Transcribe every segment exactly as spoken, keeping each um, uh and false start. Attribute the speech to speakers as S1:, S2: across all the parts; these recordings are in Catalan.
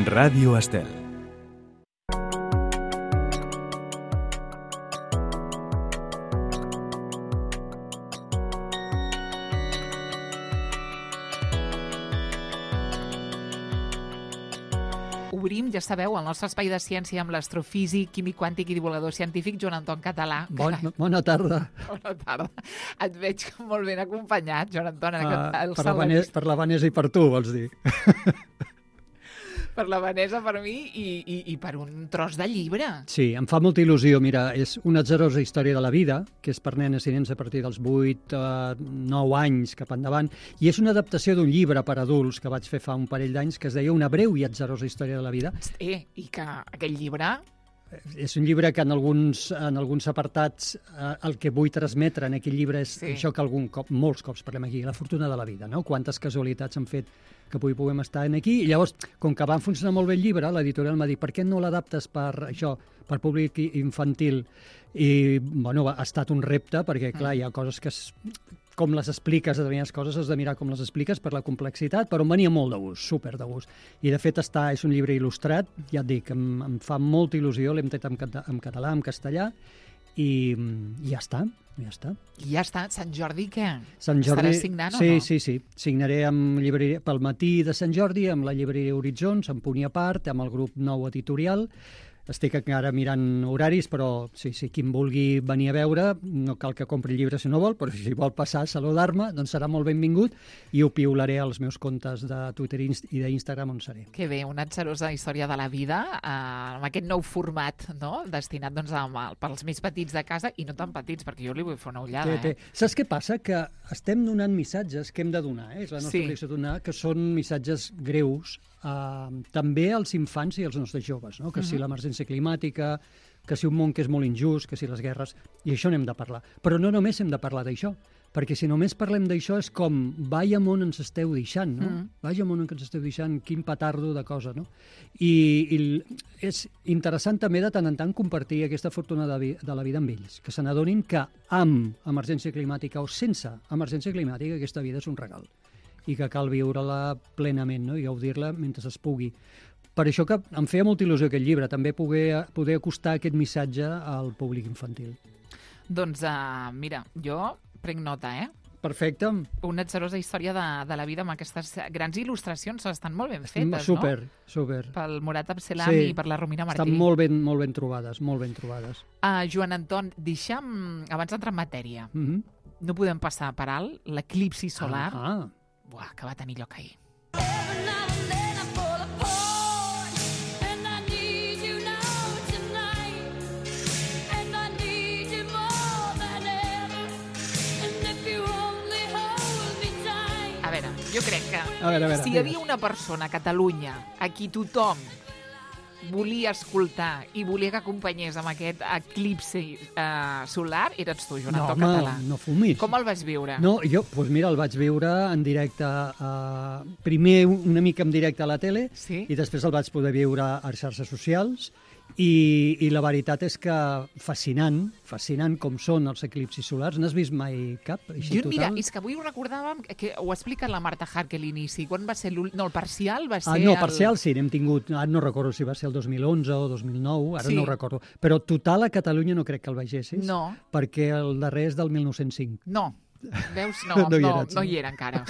S1: Ràdio Estel.
S2: Obrim, ja sabeu, el nostre espai de ciència amb l'astrofísic, químic quàntic i divulgador científic Joan Anton Català.
S3: Bon, bona tarda.
S2: Bona tarda. Et veig molt ben acompanyat, Joan Anton. En
S3: Uh,
S2: aquest,
S3: per, la Vanessa, per la Vanessa i per tu, vols dir?
S2: Per la Vanessa, per mi, i, i, i per un tros de llibre.
S3: Sí, em fa molta il·lusió. Mira, és una atzarosa història de la vida, que és per nenes i nens a partir dels vuit, nou anys cap endavant, i és una adaptació d'un llibre per adults que vaig fer fa un parell d'anys que es deia Una breu i atzarosa història de la vida.
S2: Eh, i que aquell llibre...
S3: És un llibre que en alguns, en alguns apartats eh, el que vull transmetre en aquell llibre és
S2: Sí.
S3: això que algun cop, molts cops parlem aquí, la fortuna de la vida, no? Quantes casualitats han fet que avui puguem estar aquí. I llavors, com que va funcionar molt bé el llibre, l'editorial m'ha dit, per què no l'adaptes per això, per públic i- infantil? I, bueno, ha estat un repte, perquè, clar, hi ha coses que... Es, com les expliques, determinades coses, has de mirar com les expliques per la complexitat, però em venia molt de gust, super de gust. I, de fet, està, és un llibre il·lustrat, ja et dic, em, em fa molta il·lusió, l'hem tret en, cata, en català, en castellà, i, i ja està, ja està.
S2: I ja està, Sant Jordi, què?
S3: Sant Jordi...
S2: Estaràs signant
S3: sí,
S2: o no?
S3: Sí, sí, signaré amb llibreria, pel matí de Sant Jordi, amb la llibreria Horitzons, amb Punt i a part, amb el grup Nou Editorial. Estic encara mirant horaris, però sí, sí, qui em vulgui venir a veure, no cal que compri el llibre si no vol, però si vol passar a saludar-me, doncs serà molt benvingut i ho piularé als meus comptes de Twitter i d'Instagram on seré.
S2: Que bé, una atzarosa història de la vida, eh, amb aquest nou format, no?, destinat doncs, a, pels més petits de casa i no tan petits, perquè jo li vull fer una ullada.
S3: Té, té.
S2: Eh?
S3: Saps què passa? Que estem donant missatges que hem de donar, eh? És la nostra
S2: Sí.
S3: obligació donar, que són missatges greus, eh, també als infants i als nostres joves, no? Que si l'emergència climàtica, que si un món que és molt injust, que si les guerres, i això n'hem de parlar. Però no només hem de parlar d'això, perquè si només parlem d'això és com, vaya món ens esteu deixant, no?
S2: Mm.
S3: Vaya món ens esteu deixant, quin petardo de cosa, no? I, i és interessant també de tant en tant compartir aquesta fortuna de, vi, de la vida amb ells, que se n'adonin que amb emergència climàtica o sense emergència climàtica aquesta vida és un regal i que cal viure-la plenament, no? I gaudir-la mentre es pugui. Per això que em feia molta il·lusió aquest llibre, també poder, poder acostar aquest missatge al públic infantil.
S2: Doncs, uh, mira, jo prenc nota, eh?
S3: Perfecte.
S2: Una atzarosa història de, de la vida amb aquestes grans il·lustracions, estan molt ben fetes,
S3: super,
S2: no?
S3: super.
S2: Pel Morat Abselam
S3: Sí.
S2: i per la Romina Martí.
S3: Estan molt ben, molt ben trobades, molt ben trobades.
S2: Uh, Joan Anton, deixa'm, abans d'entrar en matèria,
S3: Mm -hmm.
S2: no podem passar per alt l'eclipsi solar,
S3: Ah,
S2: buah, que va tenir lloc ahir. A veure, jo crec que
S3: A veure, a veure,
S2: si hi havia una persona a Catalunya a qui tothom volia escoltar i volia que acompanyés amb aquest eclipsi eh, solar, eres tu, Joan
S3: no,
S2: Anton
S3: home,
S2: Català.
S3: no fumis.
S2: Com el vas viure?
S3: No, jo, doncs mira, el vaig veure en directe, uh, primer una mica en directe a la tele,
S2: Sí?
S3: i després el vaig poder veure a xarxes socials, i, i la veritat és que fascinant, fascinant com són els eclipsis solars. N'has vist mai cap? Així,
S2: Jo, mira,
S3: total?
S2: és que avui ho recordàvem, que ho explica la Marta Harque a l'inici. Quan va ser l'últim? No, el parcial va ser...
S3: Ah, no,
S2: el...
S3: parcial sí, n'hem tingut, ara no recordo si va ser el dos mil onze o dos mil nou, ara
S2: Sí.
S3: no ho recordo, però total a Catalunya no crec que el vegessis,
S2: No.
S3: perquè el darrer és del mil nou-cents cinc.
S2: No. Veus? No,
S3: No
S2: no,
S3: hi
S2: no,
S3: eres,
S2: no
S3: no?
S2: hi era encara.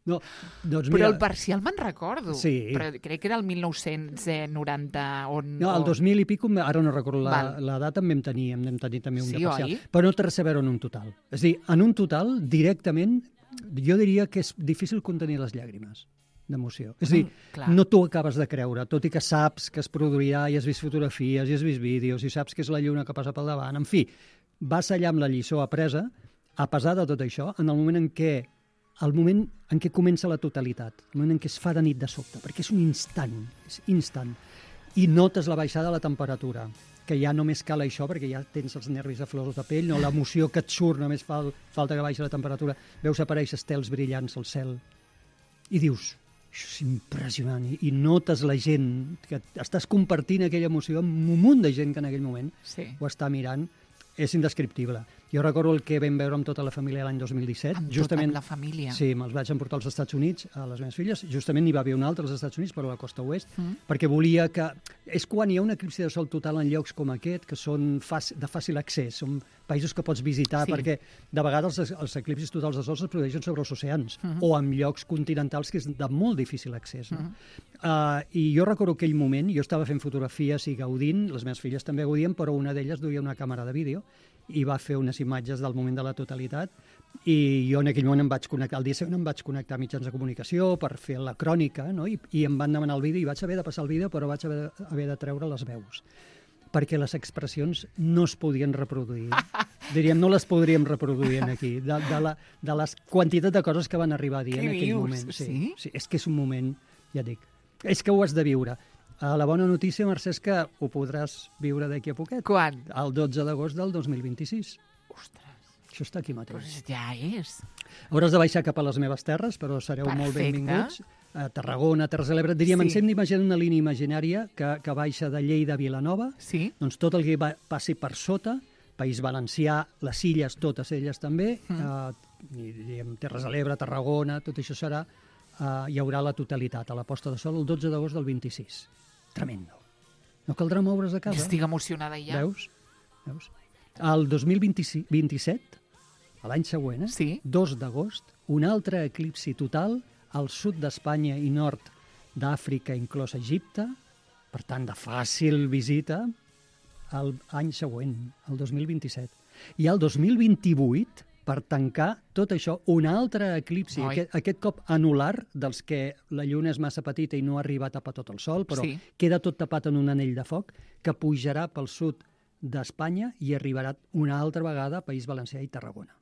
S3: No, doncs
S2: Però
S3: mira,
S2: el parcial me'n recordo.
S3: Sí.
S2: Però crec que era el mil nou-cents noranta. On,
S3: no, el
S2: o-
S3: dos mil i pico, ara no recordo la,
S2: Val.
S3: la data, en vam tenir, en vam tenir també un
S2: Sí,
S3: de parcial.
S2: oi?
S3: Però no té res a veure en un total. És a dir, en un total, directament, jo diria que és difícil contenir les llàgrimes d'emoció. És a dir,
S2: Mm, clar.
S3: no t'ho acabes de creure, tot i que saps que es produirà i has vist fotografies i has vist vídeos i saps que és la lluna que passa pel davant. En fi, vas allà amb la lliçó apresa, a pesar de tot això, en el moment en què el moment en què comença la totalitat, el moment en què es fa de nit de sobte, perquè és un instant, és instant, i notes la baixada de la temperatura, que ja només cal això, perquè ja tens els nervis a flors de pell, no? L'emoció que et surt, només fa, falta que baixi la temperatura, veus aparèixer estels brillants al cel, i dius, això és impressionant, i, i notes la gent, que estàs compartint aquella emoció amb un munt de gent que en aquell moment
S2: Sí.
S3: ho està mirant. és indescriptible. Jo recordo el que vam veure amb tota la família l'any dos mil disset.
S2: Amb
S3: justament,
S2: tota la família.
S3: Sí, me'ls vaig emportar als Estats Units, a les meves filles. Justament n'hi va haver un altre als Estats Units, però a la costa oest, mm. perquè volia que... És quan hi ha un eclipsi de sol total en llocs com aquest, que són fàcil, de fàcil accés, són països que pots visitar, sí. perquè de vegades els, els eclipsis totals de sol es produeixen sobre els oceans, mm. o en llocs continentals que és de molt difícil accés. No? Mm. Uh, I jo recordo aquell moment, jo estava fent fotografies i gaudint, les meves filles també gaudien, però una d'elles duia una càmera de vídeo i va fer unes imatges del moment de la totalitat, i jo en aquell moment em vaig connectar, el dia següent em vaig connectar a mitjans de comunicació per fer la crònica, no? I, i em van demanar el vídeo, i vaig haver de passar el vídeo, però vaig haver, haver de treure les veus, perquè les expressions no es podien reproduir. Diríem, no les podríem reproduir aquí, de, de, la, de les quantitat de coses que van arribar a dir
S2: Què
S3: en aquell
S2: dius?
S3: moment. Sí,
S2: Sí?
S3: sí, és que és un moment, ja dic, és que ho has de viure. Uh, la bona notícia, Mercè, és que ho podràs viure d'aquí a poquet.
S2: Quan?
S3: El dotze d'agost del dos mil vint-i-sis.
S2: Ostres,
S3: Això està aquí mateix.
S2: doncs ja és.
S3: Hauràs de baixar cap a les meves terres, però sereu
S2: Perfecte.
S3: molt benvinguts. A Tarragona, Terres de l'Ebre. Diríem,
S2: Sí.
S3: ens hem d'imaginar una línia imaginària que, que baixa de Lleida a Vilanova.
S2: Sí?
S3: Doncs tot el que va, passi per sota, País Valencià, les illes, totes elles també, mm. eh, i, diguem, Terres de l'Ebre, Tarragona, tot això serà, eh, hi haurà la totalitat a la posta de sol el dotze d'agost del vint-i-sis. Tremendo. No caldrà moure's de casa.
S2: Estic emocionada ja.
S3: Veus? Veus? El dos mil vint-i-set, l'any següent, eh?
S2: Sí.
S3: dos d'agost, un altre eclipsi total al sud d'Espanya i nord d'Àfrica, inclòs Egipte, per tant, de fàcil visita, l'any següent, el dos mil vint-i-set. I el dos mil vint-i-vuit, per tancar tot això, un altre eclipsi, aquest, aquest cop anular, dels que la lluna és massa petita i no arriba a tapar tot el sol, però
S2: Sí.
S3: queda tot tapat en un anell de foc, que pujarà pel sud d'Espanya i arribarà una altra vegada a País Valencià i Tarragona.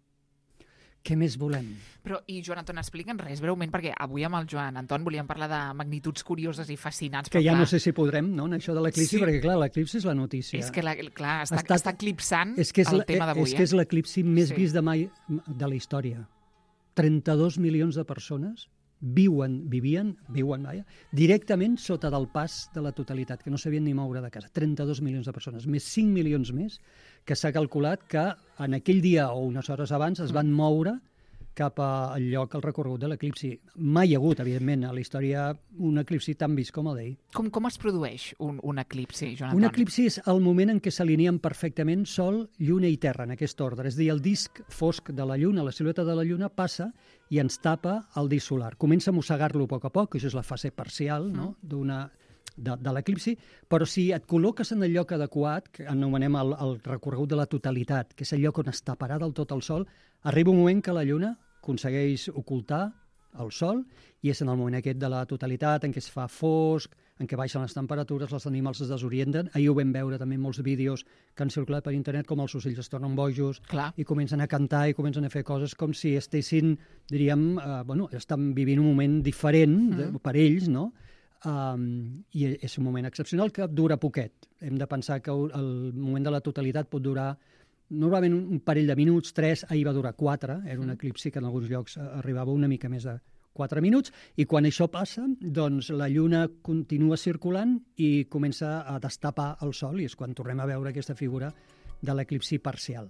S3: Què més volem?
S2: Però, i Joan Anton, explica'ns res breument, perquè avui amb el Joan Anton volíem parlar de magnituds curioses i fascinants.
S3: Que
S2: però
S3: ja
S2: clar,
S3: no sé si podrem, no?, en això de l'eclipsi,
S2: Sí.
S3: perquè, clar, l'eclipsi és la notícia.
S2: És que, la, clar, està,
S3: Estat-
S2: està eclipsant
S3: és que és
S2: el
S3: la-
S2: tema d'avui.
S3: És que és l'eclipsi més
S2: Sí.
S3: vist de mai de la història. trenta-dos milions de persones viuen, vivien, viuen, vaja, directament sota del pas de la totalitat, que no sabien ni moure de casa. trenta-dos milions de persones, més cinc milions més, que s'ha calculat que en aquell dia o unes hores abans es van moure cap al lloc, al recorregut de l'eclipsi. Mai hi ha hagut, evidentment, a la història un eclipsi tan vist com el d'ahir.
S2: Com, com es produeix un, un eclipsi, Joan Anton?
S3: Un eclipsi és el moment en què s'alineen perfectament Sol, Lluna i Terra, en aquest ordre. És a dir, el disc fosc de la Lluna, la silueta de la Lluna, passa i ens tapa el disc solar. Comença a mossegar-lo a poc a poc, això és la fase parcial, no?, d'una de, de l'eclipsi, però si et col·loques en el lloc adequat, que anomenem el, el recorregut de la totalitat, que és el lloc on es taparà del tot el Sol, arriba un moment que la Lluna aconsegueix ocultar el Sol i és en el moment aquest de la totalitat en què es fa fosc, en què baixen les temperatures, els animals es desorienten. Ahir ho vam veure també en molts vídeos que han circulat per internet, com els ocells es tornen bojos
S2: Clar.
S3: i comencen a cantar i comencen a fer coses com si estessin, diríem, eh, bueno, estan vivint un moment diferent de,
S2: Mm.
S3: per ells, no? Um, I és un moment excepcional que dura poquet. Hem de pensar que el moment de la totalitat pot durar normalment un parell de minuts, tres, ahir va durar quatre, era un eclipsi que en alguns llocs arribava una mica més de quatre minuts, i quan això passa, doncs la Lluna continua circulant i comença a destapar el Sol, i és quan tornem a veure aquesta figura de l'eclipsi parcial.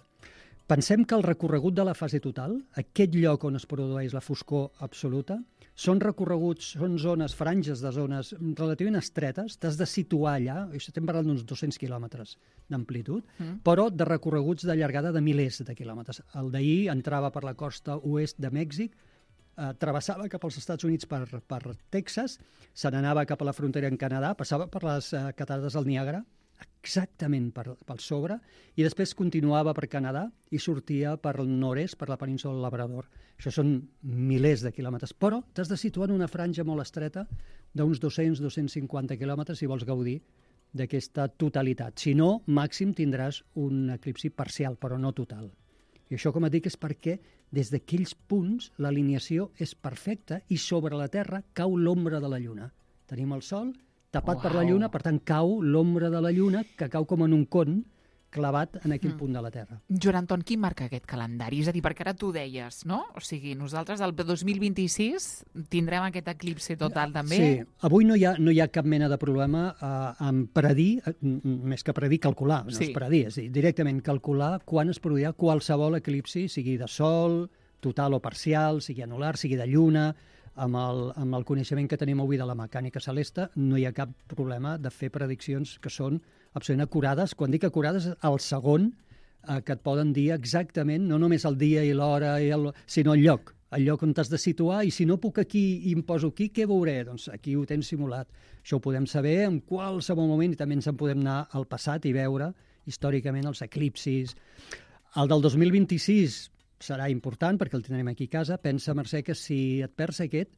S3: Pensem que el recorregut de la fase total, aquest lloc on es produeix la foscor absoluta, són recorreguts, són zones, franges de zones relativament estretes, t'has de situar allà, estem parlant d'uns dos-cents quilòmetres d'amplitud, mm. però de recorreguts de llargada de milers de quilòmetres. El d'ahir entrava per la costa oest de Mèxic, eh, travessava cap als Estats Units per, per Texas, se n'anava cap a la frontera en Canadà, passava per les eh, catarates del Niàgara, exactament per, pel sobre, i després continuava per Canadà i sortia per el nord-est, per la península del Labrador. Això són milers de quilòmetres, però t'has de situar en una franja molt estreta d'uns dos-cents a dos-cents cinquanta quilòmetres si vols gaudir d'aquesta totalitat. Si no, màxim tindràs un eclipsi parcial, però no total. I això, com et dic, és perquè des d'aquells punts l'alineació és perfecta i sobre la Terra cau l'ombra de la Lluna. Tenim el Sol tapat
S2: Uau.
S3: per la Lluna, per tant cau l'ombra de la Lluna, que cau com en un con clavat en aquell mm. punt de la Terra.
S2: Joan Anton, qui marca aquest calendari? És a dir, perquè ara tu deies, no? O sigui, nosaltres el dos mil vint-i-sis tindrem aquest eclipsi total també?
S3: Sí, avui no hi ha, no hi ha cap mena de problema eh, en predir, eh, més que predir, calcular, no
S2: sí.
S3: és predir, és dir, directament calcular quan es produirà qualsevol eclipsi, sigui de sol, total o parcial, sigui anular, sigui de lluna. Amb el, amb el coneixement que tenim avui de la mecànica celeste, no hi ha cap problema de fer prediccions que són absolutament acurades. Quan dic acurades, al segon, eh, que et poden dir exactament, no només el dia i l'hora, i el, sinó el lloc, el lloc on t'has de situar, i si no puc aquí i em poso aquí, què veuré? Doncs aquí ho tens simulat. Això ho podem saber en qualsevol moment, i també ens en podem anar al passat i veure històricament els eclipsis. El del dos mil vint-i-sis serà important perquè el tindrem aquí a casa. Pensa, Mercè, que si et perds aquest,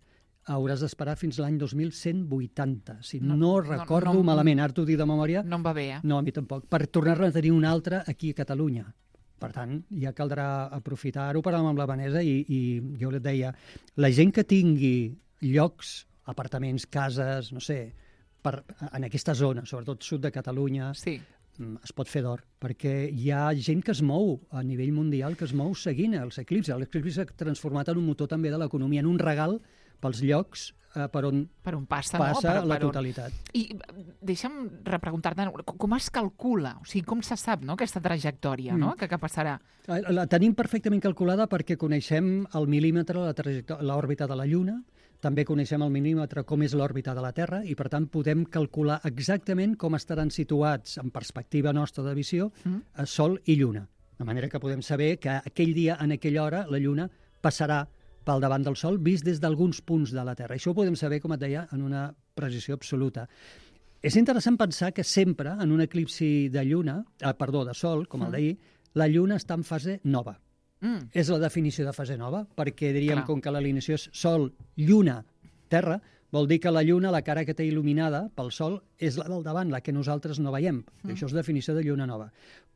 S3: hauràs d'esperar fins l'any dos mil cent vuitanta. Si no, no recordo no, no, malament, ara t'ho dic de memòria...
S2: No em va bé, eh?
S3: No, a mi tampoc. Per tornar-ne a tenir un altre aquí a Catalunya. Per tant, ja caldrà aprofitar-ho. Parlàvem amb la Vanessa i, i jo et deia, la gent que tingui llocs, apartaments, cases, no sé, per, en aquesta zona, sobretot sud de Catalunya...
S2: Sí.
S3: Es pot fer d'or, perquè hi ha gent que es mou a nivell mundial, que es mou seguint els eclipsis. L'eclipsi s'ha transformat en un motor també de l'economia, en un regal pels llocs eh, per on
S2: per on passa,
S3: passa
S2: no? per,
S3: la
S2: per
S3: totalitat.
S2: On... I deixa'm repreguntar-te, com es calcula? O sigui, com se sap, no?, aquesta trajectòria, mm. no?, que, que passarà?
S3: La tenim perfectament calculada perquè coneixem el mil·límetre, l'òrbita de la Lluna, també coneixem el mil·límetre com és l'òrbita de la Terra i, per tant, podem calcular exactament com estaran situats, en perspectiva nostra de visió, mm. Sol i Lluna. De manera que podem saber que aquell dia, en aquella hora, la Lluna passarà pel davant del Sol, vist des d'alguns punts de la Terra. Això ho podem saber, com et deia, en una precisió absoluta. És interessant pensar que sempre, en un eclipsi de Lluna, eh, perdó, de Sol, com el d'ahir, la Lluna està en fase nova. Mm. És la definició de fase nova, perquè diríem, clar, com que l'alineació és Sol, Lluna, Terra, vol dir que la Lluna, la cara que té il·luminada pel Sol, és la del davant, la que nosaltres no veiem. Mm. Això és definició de lluna nova.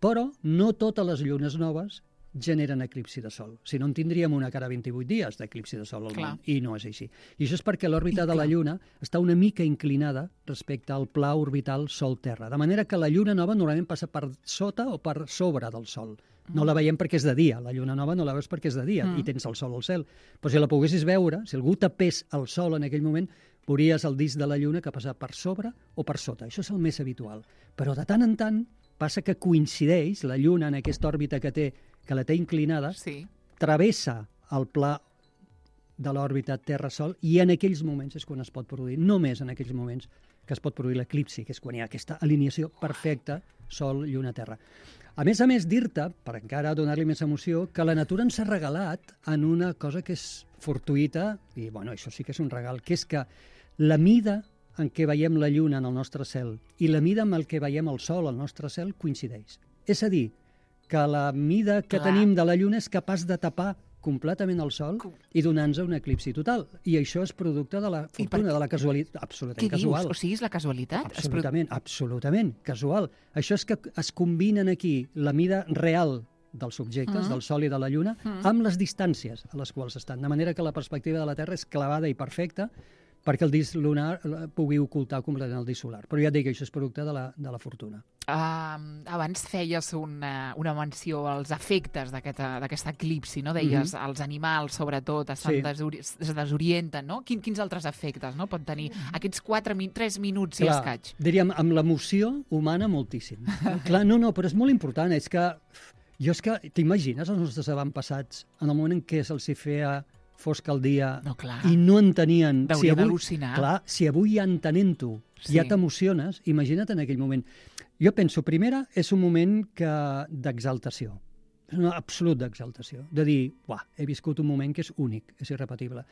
S3: Però no totes les llunes noves generen eclipsi de Sol. Si no, en tindríem una cada vint-i-vuit dies d'eclipsi de Sol al món, i no és així. I això és perquè l'òrbita de la Lluna està una mica inclinada respecte al pla orbital Sol-Terra, de manera que la Lluna nova normalment passa per sota o per sobre del Sol. No la veiem perquè és de dia, la lluna nova no la veus perquè és de dia, mm. i tens el sol al cel. Però si la poguessis veure, si algú tapés el sol en aquell moment, veuries el disc de la lluna que passa per sobre o per sota. Això és el més habitual. Però de tant en tant passa que coincideix la lluna en aquesta òrbita que té, que la té inclinada,
S2: sí,
S3: travessa el pla de l'òrbita Terra-Sol i en aquells moments és quan es pot produir, només en aquells moments que es pot produir l'eclipsi, que és quan hi ha aquesta alineació perfecta Sol, Lluna, Terra. A més a més, dir-te, per encara donar-li més emoció, que la natura ens ha regalat en una cosa que és fortuïta, i bueno, això sí que és un regal, que és que la mida en què veiem la lluna en el nostre cel i la mida amb el que veiem el sol al nostre cel coincideix. És a dir, que la mida que
S2: Clar.
S3: tenim de la lluna és capaç de tapar completament el sol i donar-nos un eclipsi total. I això és producte de la fortuna, de la casualitat, absolutament casual.
S2: Què dius? O sigui, és la casualitat?
S3: Absolutament, absolutament, casual. Això és que es combinen aquí la mida real dels objectes, uh -huh. del Sol i de la Lluna, uh -huh. amb les distàncies a les quals estan. De manera que la perspectiva de la Terra és clavada i perfecta perquè el disc lunar pugui ocultar completament el disc solar. Però ja et dic que això és producte de la, de la fortuna.
S2: Uh, abans feies una, una menció als efectes d'aquest eclipsi, no? Deies, mm-hmm. els animals, sobretot, es, sí. desori es desorienten, no? Quin, quins altres efectes, no?, pot tenir aquests quatre, tres minuts i escaig?
S3: Diríem, amb l'emoció humana moltíssim. Clar, no, no, però és molt important. És que, jo és que, t'imagines els nostres avantpassats en el moment en què se'ls feia fosc el dia
S2: no, clar.
S3: I no entenien...
S2: Hauria
S3: si avui,
S2: d'al·lucinar.
S3: Clar, si avui ja entenent-ho, sí. ja t'emociones, imagina't en aquell moment. Jo penso, primera, és un moment d'exaltació. És un absolut d'exaltació. De dir, uah, he viscut un moment que és únic, és irrepetible.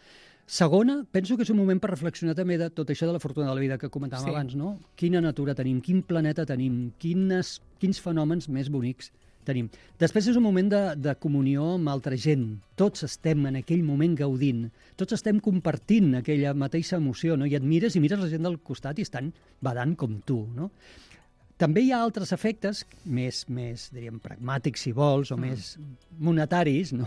S3: Segona, penso que és un moment per reflexionar també de tot això de la fortuna de la vida que comentàvem sí. abans, no? Quina natura tenim, quin planeta tenim, quines, quins fenòmens més bonics tenim. Després és un moment de, de comunió amb altra gent. Tots estem en aquell moment gaudint. Tots estem compartint aquella mateixa emoció, no? I et mires i mires la gent del costat i estan badant com tu, no? També hi ha altres efectes, més, més diríem, pragmàtics, si vols, o mm. més monetaris, no?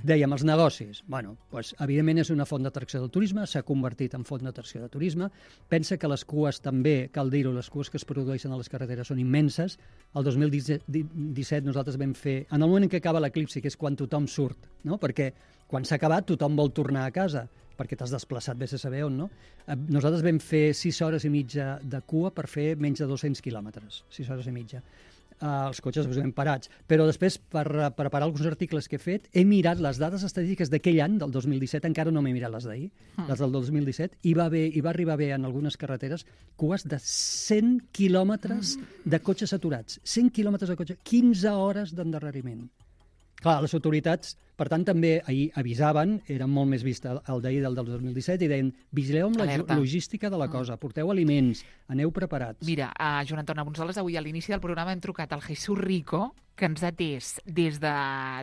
S3: Dèiem, els negocis. Bueno, doncs, evidentment és una font d'atracció del turisme, s'ha convertit en font d'atracció de turisme. Pensa que les cues també, cal dir-ho, les cues que es produeixen a les carreteres són immenses. El dos mil disset nosaltres vam fer, en el moment en què acaba l'eclipsi, que és quan tothom surt, no? Perquè quan s'ha acabat tothom vol tornar a casa, perquè t'has desplaçat vés a saber on, no? Nosaltres vam fer sis hores i mitja de cua per fer menys de dos-cents quilòmetres, sis hores i mitja. Uh, els cotxes els hem parats. Però després, per uh, preparar alguns articles que he fet, he mirat les dades estadístiques d'aquell any, del dos mil disset, encara no m'he mirat les d'ahir, mm. les del dos mil disset, i va, haver, i va arribar bé en algunes carreteres cues de cent quilòmetres mm. de cotxes aturats. cent quilòmetres de cotxe, quinze hores d'endarreriment. Clar, les autoritats, per tant, també ahir avisaven, eren molt més vist el d'ahir del dos mil disset, i deien, vigileu amb la Alerta. logística de la cosa, porteu aliments, aneu preparats.
S2: Mira, uh, Joan Anton Abunzoles, avui a l'inici del programa hem trucat al Jesús Rico, que ens ha atès des de,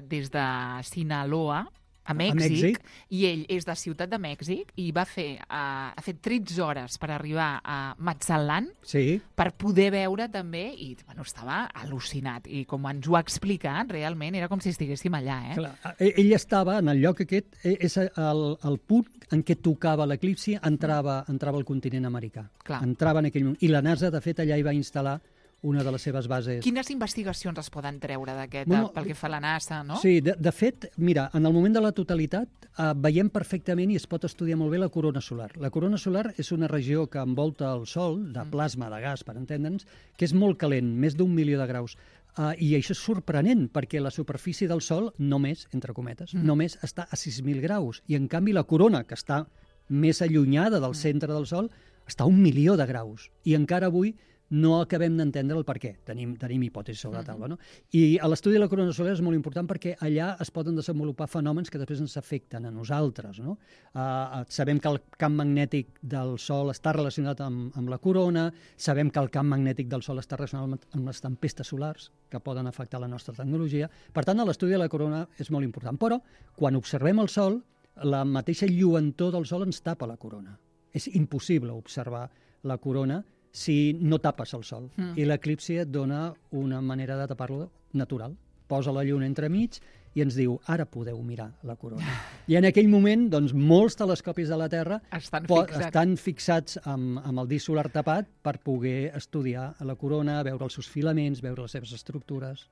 S2: des de Sinaloa, a Mèxic, a Mèxic, i ell és de Ciutat de Mèxic i va fer, uh, ha fet tretze hores per arribar a Mazatlan
S3: sí.
S2: per poder veure també, i bueno, estava al·lucinat, i com ens ho ha explicat, realment era com si estiguéssim allà. Eh?
S3: Clar, ell estava en el lloc aquest, és el, el punt en què tocava l'eclipsi, entrava, entrava al continent americà. Clar. Entrava en aquell moment. I la NASA, de fet, allà hi va instal·lar una de les seves bases.
S2: Quines investigacions es poden treure d'aquest, bueno, pel que fa a la NASA, no?
S3: Sí, de, de fet, mira, en el moment de la totalitat eh, veiem perfectament i es pot estudiar molt bé la corona solar. La corona solar és una regió que envolta el Sol, de plasma, de gas, per entendre'ns, que és molt calent, més d'un milió de graus. Uh, I això és sorprenent, perquè la superfície del Sol només, entre cometes, mm. només està a sis mil graus. I, en canvi, la corona, que està més allunyada del centre del Sol, està a un milió de graus. I encara avui no acabem d'entendre el per què. Tenim, tenim hipòtesis sobre la taula, no? I l'estudi de la corona solar és molt important perquè allà es poden desenvolupar fenòmens que després ens afecten a nosaltres, no? Uh, sabem que el camp magnètic del Sol està relacionat amb, amb la corona, sabem que el camp magnètic del Sol està relacionat amb, amb les tempestes solars que poden afectar la nostra tecnologia. Per tant, l'estudi de la corona és molt important. Però, quan observem el Sol, la mateixa lluentor del Sol ens tapa la corona. És impossible observar la corona si no tapes el Sol. Mm. I l'eclipsi et dona una manera de tapar-lo natural. Posa la lluna entremig i ens diu, ara podeu mirar la corona. I en aquell moment, doncs, molts telescopis de la Terra
S2: estan
S3: po-
S2: fixats,
S3: estan fixats amb, amb el disc solar tapat per poder estudiar la corona, veure els seus filaments, veure les seves estructures.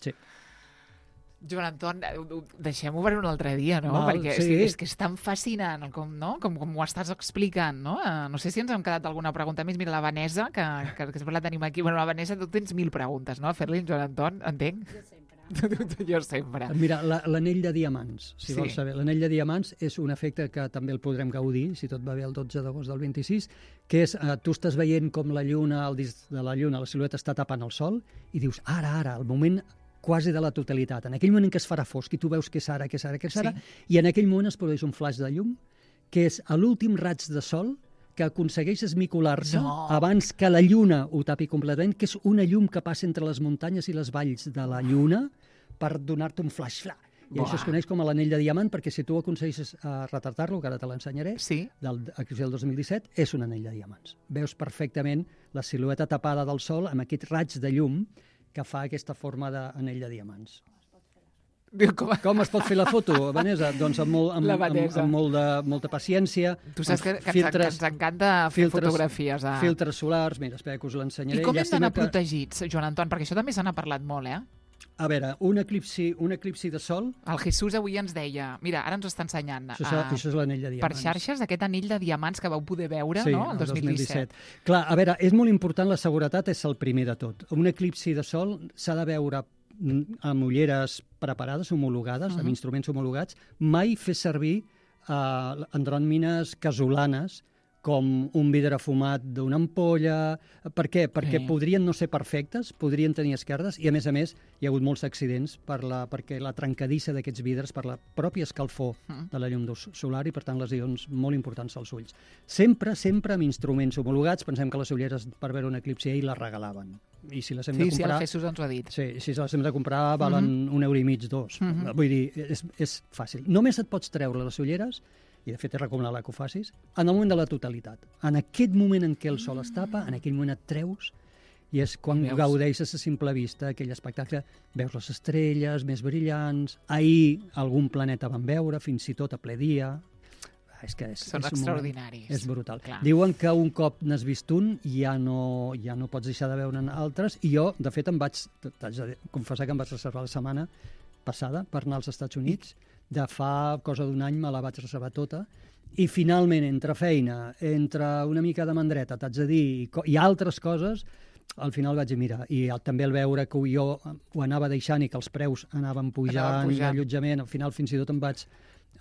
S3: Sí.
S2: Joan Anton, deixem-ho per un altre dia, no?
S3: Val,
S2: Perquè
S3: sí.
S2: és, és que és tan fascinant com, no? com, com ho estàs explicant, no? Uh, no sé si ens hem quedat alguna pregunta més. Mira, la Vanessa, que, que, que sempre la tenim aquí. Bueno, la Vanessa, tu tens mil preguntes, no? A fer-li en Joan Anton, entenc?
S1: Jo sempre.
S2: Jo sempre.
S3: Mira, l'anell la, de diamants, si
S2: sí.
S3: vols saber. L'anell de diamants és un efecte que també el podrem gaudir, si tot va bé el dotze d'agost del vint-i-sis, que és, eh, tu estàs veient com la lluna, el disc de la lluna, la silueta està tapant el sol, i dius, ara, ara, el moment quasi de la totalitat. En aquell moment en què es farà fosc i tu veus que és ara, que és ara, que és ara, sí. i en aquell moment es produeix un flaix de llum, que és a l'últim raig de sol que aconsegueix esmicolar-se
S2: no.
S3: abans que la lluna ho tapi completament, que és una llum que passa entre les muntanyes i les valls de la lluna per donar-te un flaix. Fla. I Buah. Això es coneix com l'anell de diamant, perquè si tu aconsegueixes uh, retratar-lo, que ara te l'ensenyaré,
S2: sí.
S3: del, del dos mil disset, és un anell de diamants. Veus perfectament la silueta tapada del sol amb aquest raig de llum que fa aquesta forma d'anell de diamants.
S2: Com,
S3: Com es pot fer la foto, Vanessa? Doncs amb, molt, amb, amb, amb molt de, molta paciència.
S2: Tu saps que, que, filtres, ens, que ens encanta fer filtres, fotografies. A...
S3: Filtres solars, mira, espera que us l'ensenyaré.
S2: I com hem d'anar
S3: que...
S2: protegits, Joan Anton? Perquè això també se n'ha parlat molt, eh?
S3: A veure, un eclipsi, un eclipsi de sol...
S2: El Jesús avui ens deia... Mira, ara ens ho està ensenyant.
S3: Això, a, això és l'anell de diamants.
S2: Per xarxes, aquest anell de diamants que vau poder veure,
S3: sí,
S2: no?, el dos mil disset.
S3: Clar, a veure, és molt important, la seguretat és el primer de tot. Un eclipsi de sol s'ha de veure amb ulleres preparades, homologades, uh -huh. amb instruments homologats, mai fer servir uh, andròmines casolanes com un vidre fumat d'una ampolla. Per què? Perquè sí. podrien no ser perfectes, podrien tenir esquerdes, i a més a més hi ha hagut molts accidents per la, perquè la trencadissa d'aquests vidres per la pròpia escalfor mm. de la llum solar i, per tant, lesions molt importants als ulls. Sempre, sempre amb instruments homologats. Pensem que les ulleres per veure un eclipsi ell les regalaven. I si les hem
S2: sí,
S3: de comprar...
S2: Sí, el Jesús ens ho ha dit.
S3: Sí, si les hem de comprar valen mm -hmm. un euro i mig, dos. Mm -hmm. Vull dir, és, és fàcil. Només et pots treure les ulleres, i de fet és recomanable que ho facis, en el moment de la totalitat. En aquest moment en què el sol es tapa, en aquell moment et treus I és quan
S2: Veus?
S3: gaudeixes a simple vista aquell espectacle. Veus les estrelles més brillants. Ahir algun planeta van veure, fins i tot a ple dia. És que és,
S2: Són
S3: és
S2: extraordinaris.
S3: És brutal.
S2: Clar.
S3: Diuen que un cop n'has vist un ja no, ja no pots deixar de veure'n altres, i jo, de fet, em vaig, t'haig de confessar que em vaig reservar la setmana passada per anar als Estats Units. De fa cosa d'un any me la vaig reservar tota, i finalment, entre feina, entre una mica de mandreta, t'haig de dir, i, i altres coses, al final vaig dir, mira, i també el veure que jo ho anava deixant i que els preus anaven pujant, i l'allotjament, al final fins i tot em vaig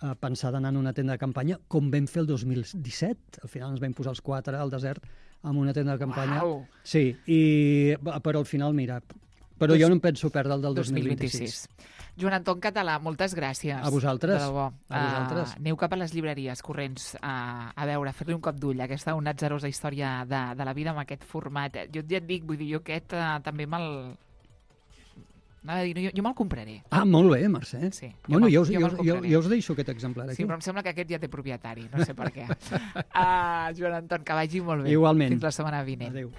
S3: a pensar d'anar en una tenda de campanya, com vam fer el dos mil disset. Al final ens vam posar els quatre al desert amb una tenda de campanya.
S2: Uau.
S3: Sí, i, però al final, mira, però dos, jo no em penso perdre el del dos mil vint-i-sis.
S2: Joan Anton Català, moltes gràcies.
S3: A vosaltres.
S2: De debò.
S3: A vosaltres.
S2: Uh, aneu cap a les llibreries corrents uh, a veure, a fer-li un cop d'ull a aquesta una atzarosa història de, de la vida amb aquest format. Jo ja et dic, vull dir, jo aquest uh, també me'l... Anava a dir, jo, jo me'l compraré.
S3: Ah, molt bé, Mercè.
S2: Sí,
S3: bueno, jo,
S2: jo,
S3: jo, jo, jo us deixo aquest exemplar aquí.
S2: Sí, però em sembla que aquest ja té propietari, no sé per què. uh, Joan Anton, que vagi molt bé.
S3: Igualment.
S2: Fins la setmana vinent.
S3: Adéu.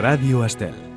S1: Ràdio Estel.